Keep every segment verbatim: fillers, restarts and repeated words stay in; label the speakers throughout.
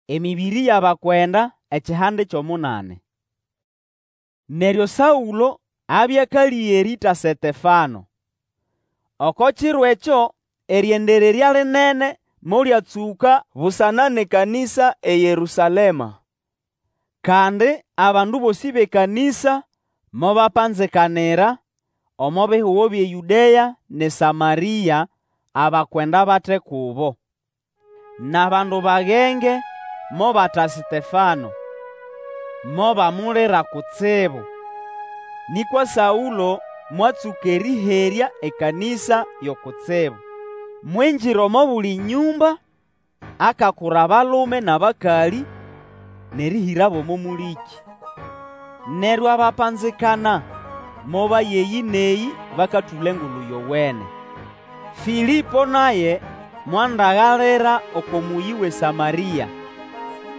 Speaker 1: Emĩbĩrĩ y'abakwenda ekihande ky'omunani. Neryo Saũlo abya akalĩga erĩĩta Setefano. Oko kiro ekyo erĩendererya linene molyatsũka busana n'ekanĩsa eYerũsalema. Kandi abandu bosĩ b'ekanĩsa mobapanzikanira omo bihugo by'eYũdea n'eSamarĩa, abakwenda bate kubo. N'abandu bagenge mobata Setefano, mobamulira kutsibu. Nĩkwa Saũlo mwatsũka erĩherya ekanĩsa yo kutsibu. Mwingira omo buli nyũmba, akakura abalume n'abakalĩ, n'erĩhĩrabo omo mũlĩkĩ. Neryo abapanzikana mobaya eyĩ n'eyĩ bakatũla Engulu Yowene. Fĩlĩpo naye mwandagalira oko mũyĩ w'eSamarĩa,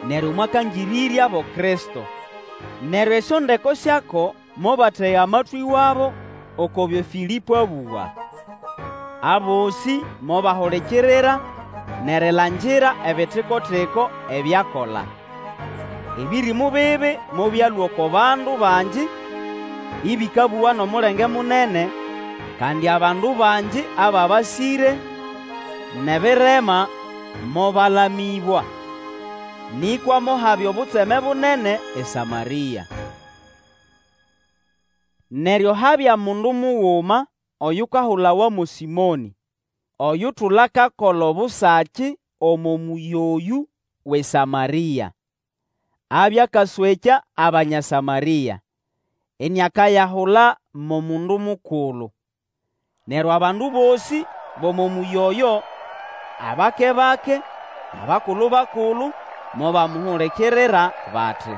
Speaker 1: neryo mwakangĩrĩryabo Kristo. Neryo esyondeko syako mobatega amatwĩ wabo oko byo Fĩlĩpo abũga. Abosĩ mobahulikirira n'erilangira ebitiko-tiko ebyakola. Ebĩrĩmũ bibi mobyalũa oko bandu bangi, ĩbĩkabũga n'omulenge munene, kandi abandu bangi ababasĩre n'ebirema mobalamĩbwa. Nĩkwa mohabya obutseme bunene eSamarĩa. Neryo habya mundu muguma oyukahulawa mo Sĩmonĩ, oyutula akakola obusaki omo mũyĩ oyũ w'eSamarĩa. Abya akaswekya Abanya Samarĩa, iniakayahula mo mundu mukulu. Neryo abandu bosĩ b'omo mũyĩ oyo, abake-bake n'abakulu-bakulu, mobamuhulikirira bati,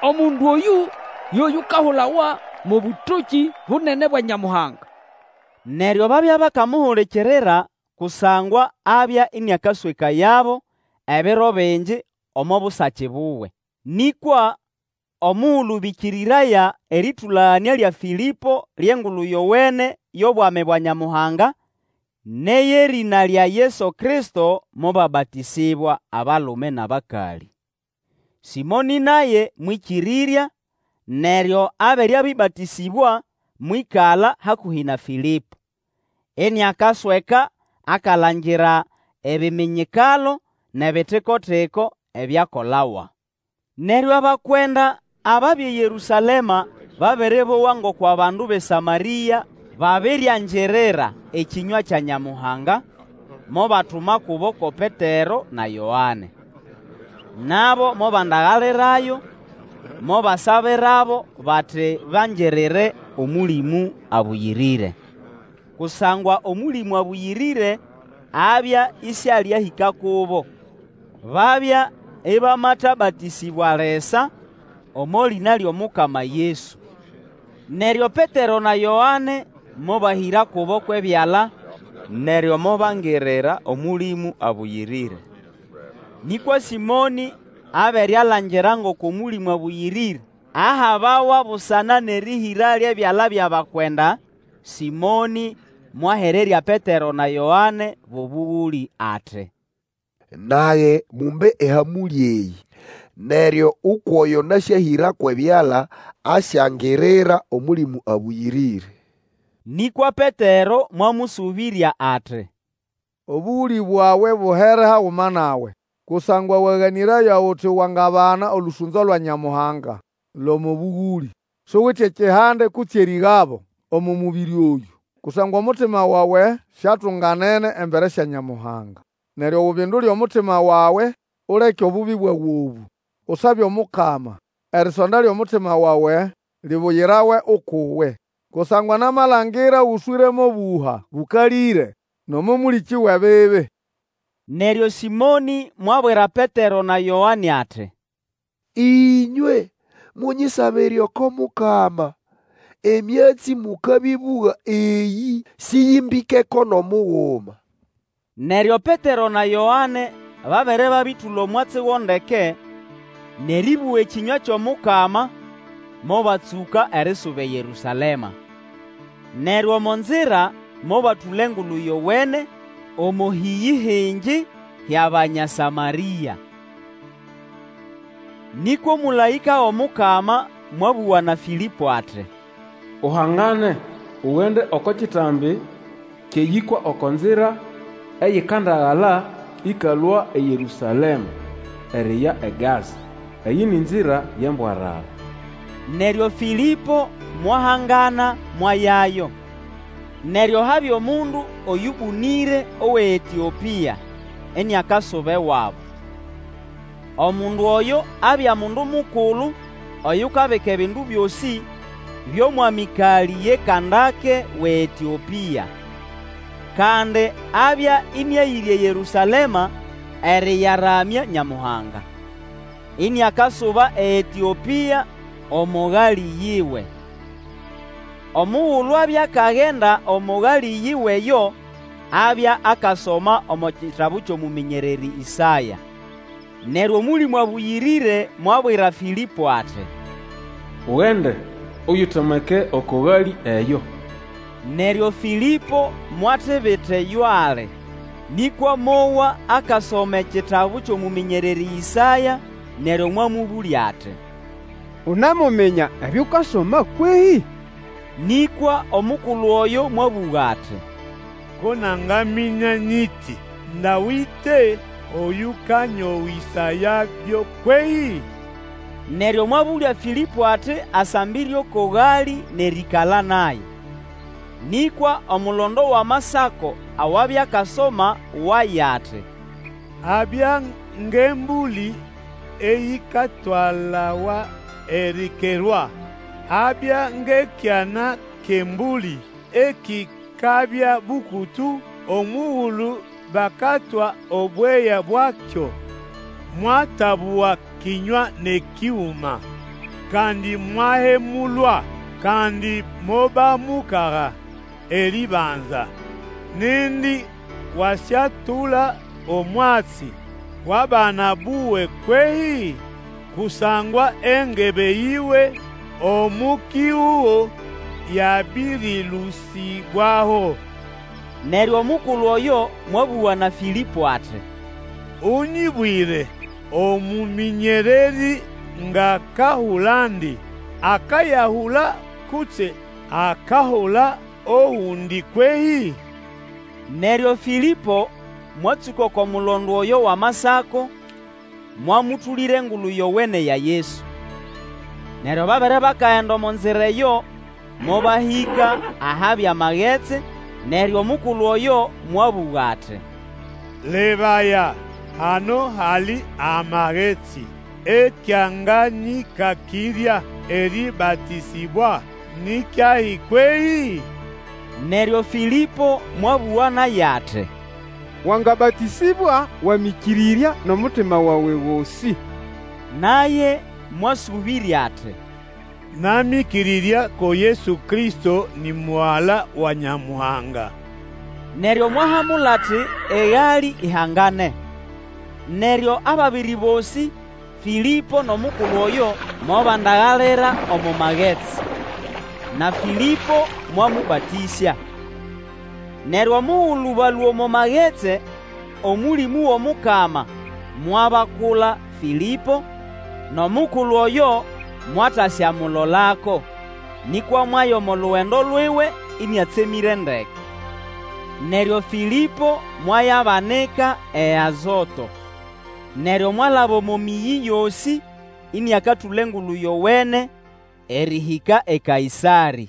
Speaker 2: Omundu oyũ yo yukahulawa mo Bũtokĩ Bunene bwa Nyamuhanga.
Speaker 1: Neryo babya bakamuhulikirira kusangwa abya ĩnĩakaswekayabo ebiro bingi omo busaki buwe. Nĩkwa omugulu bĩkĩrĩraya erĩtũlaganĩa lya Fĩlĩpo ly'Engulu Yowene y'obwami bwa Nyamuhanga, n'ey'erĩna lya Yesu Kristo, mobabatĩsĩbwa abalume n'abakalĩ. Sĩmonĩ naye mwĩkĩrĩrya, neryo abere abĩbatĩsĩbwa, mwĩkala hakũhĩ na Fĩlĩpo, iniakasweka akalangira ebiminyikalo n'ebitiko-tiko ebyakolawa. Neryo abakwenda ababya eYerũsalema babere bowa ngoko abandu b'eSamarĩa babiriangirira ekĩnywa kya Nyamuhanga, mobatuma kubo ko Petero na Yoane. Nabo mobandagalirayo, mobasabirabo bati bangirire Omũlĩmũ Abũyĩrĩre. Kusangwa Omũlĩmũ Abũyĩrĩre abya isialiahĩka kubo. Babya ĩbamatabatĩsĩbwa lisa omo lĩna ly'Omukama Yesu. Neryo Petero na Yoane mobahĩra kubo kw'ebyala, neryo mobangirira Omũlĩmũ Abũyĩrĩre. Nĩkwa Sĩmonĩ abere alangira ngoko Omũlĩmũ Abũyĩrĩre ahabawa busana n'erĩhĩra ly'ebyala by'abakwenda, Sĩmonĩ mwahererya Petero na Yoane b'obũgũlĩ ati,
Speaker 3: Nage mumbe ehamũlĩ eyĩ, neryo ukw'oyo nasyahĩra kw'ebyala asyangirira Omũlĩmũ Abũyĩrĩre.
Speaker 1: Nĩkwa Petero mwamũsũbĩrya ati,
Speaker 4: Obũgũlĩ bwawe buhere haguma nawe, kusangwa waganĩraya uti wangabana olũsũnzo lwa Nyamuhanga l'omo bũgũlĩ. Suwite ekihande kutse erĩgabo omo mũbĩrĩ oyũ, kusangwa omutima wawe siatunganene embere sya Nyamuhanga. Neryo ubindule omutima wawe, uleke obubi bwawe obũ. Usabe Omukama, erisonda ly'omutima wawe libuyirawe uk'uwe. Kusangwa namalangira ũswĩre m'obuha bũkalĩre, n'omo mũlĩkĩ w'ebibi.
Speaker 1: Neryo Sĩmonĩ mwabwira Petero na Yoane ati,
Speaker 3: Ĩnywe munyisabire oko Mukama, emyatsi mukabĩbũga eyĩ sĩyĩmbĩkeko n'omuguma.
Speaker 1: Neryo Petero na Yoane babere babĩtũla omwatsi go ndeke, n'erĩbũga ekĩnywa ky'Omukama, mobatsũka erisuba eYerũsalema. Neryo omo nzira mobatũla Engulu Yowene omo hĩyĩ hingi hy'Abanya Samarĩa. Nĩkwa omũlaĩka w'Omukama mwabũga na Fĩlĩpo ati,
Speaker 5: Uhangane, ugende oko kitambi ky'eyĩkwa oko nzira eyikandagala ĩkalũa eYerũsalema eriya eGaza. Eyĩ ni nzira y'embwarara.
Speaker 1: Neryo Fĩlĩpo mwahangana mwayayo. Neryo habya omundu oyũbũnĩre w'eEtĩopĩa, iniakasuba ewabo. Omundu oyo abya mundu mukulu oyukabika ebindu byosĩ by'omwamĩkalĩ ye Kandake w'eEtĩopĩa. Kandi abya ĩnĩayĩre eYerũsalema eriyaramya Nyamuhanga, iniakasuba eEtĩopĩa omo galĩ yiwe. Omugulu abya akagenda omo galĩ yiwe eyo, abya akasoma omo kitabu ky'omũmĩnyererĩ Ĩsaya. Neryo Omũlĩmũ Abũyĩrĩre mwabwira Fĩlĩpo ati,
Speaker 5: Ugende, Uyitomeke oko galĩ eyo.
Speaker 1: Neryo Fĩlĩpo mwatibita eyo ali, nĩkwa mowa akasoma ekitabu ky'omũmĩnyererĩ Ĩsaya, neryo mwamũbũlya ati,
Speaker 6: Unemuminya ebyo ukasoma kwehĩ?
Speaker 1: Nĩkwa omukulu oyo mwabũga ati,
Speaker 7: Ko nangaminya nyiti Dawĩtĩ oyũkanyowĩsayabyo kwehĩ?
Speaker 1: Neryo mwabũlya Fĩlĩpo ati asambĩre oko galĩ n'erĩĩkala naye. Nĩkwa omulondo w'Amasako awabya akasoma waye ati,
Speaker 7: Abya ng'embũlĩ eyikatwalawa erikerwa, Abya ng'ekyana ky'embũlĩ ekikabya bũkũtũ omugulu bakatwa obweya bwakyo. Mwatabũga kĩnywa n'ekĩgũma. Kandi mwahemulwa, kandi mobamukaga eribanza. Nindi wasyatula omwatsi w'abana buwe kwehĩ? Kusangwa engebe yiwe omo kihugo yabĩrĩlũsĩbwaho.
Speaker 1: Neryo omukulu oyo mwabũga na Fĩlĩpo ati,
Speaker 7: Ũnyĩbwĩre, omũmĩnyererĩ ng'akahulandi, akayahula kutse akahula ogundi kwehĩ?
Speaker 1: Neryo Fĩlĩpo mwatsũka oko mulondo oyo w'Amasako, mwamũtũlĩra Engulu Yowene ya Yesu. Neryo babere bakagenda omo nzira eyo, mobahĩka ahabya amagetsi, neryo omukulu oyo mwabũga ati,
Speaker 7: Lebaya, hano hali amagetsi, Ekyanganyĩkakĩrya erĩbatĩsĩbwa ni kyahi kwehĩ?
Speaker 1: Neryo Fĩlĩpo mwabũga naye ati,
Speaker 6: Wangabatĩsĩbwa wamĩkĩrĩrya n'omutima wawe gosĩ.
Speaker 1: Naye mwasũbĩrya ati,
Speaker 7: Namĩkĩrĩrya ko Yesu Kristo ni Mugala wa Nyamuhanga.
Speaker 1: Neryo mwahamula ati egalĩ ihangane. Neryo ababiri bosĩ, Fĩlĩpo n'omukulu oyo, mobandagalira omo magetsi, na Fĩlĩpo mwamũbatĩsya. Neryo omugulu balũa omo magetsi, Omũlĩmũ w'Omukama mwabakula Fĩlĩpo, n'omukulu oyo mwatasyamulolako, nĩkwa mwaya omo lugendo lwiwe ĩnĩatsemĩre ndeke. Neryo Fĩlĩpo mwayabanika eAzoto. Neryo mwalaba omo mĩyĩ yosĩ iniakatũla Engulu Yowene erĩhĩka eKaĩsarĩ.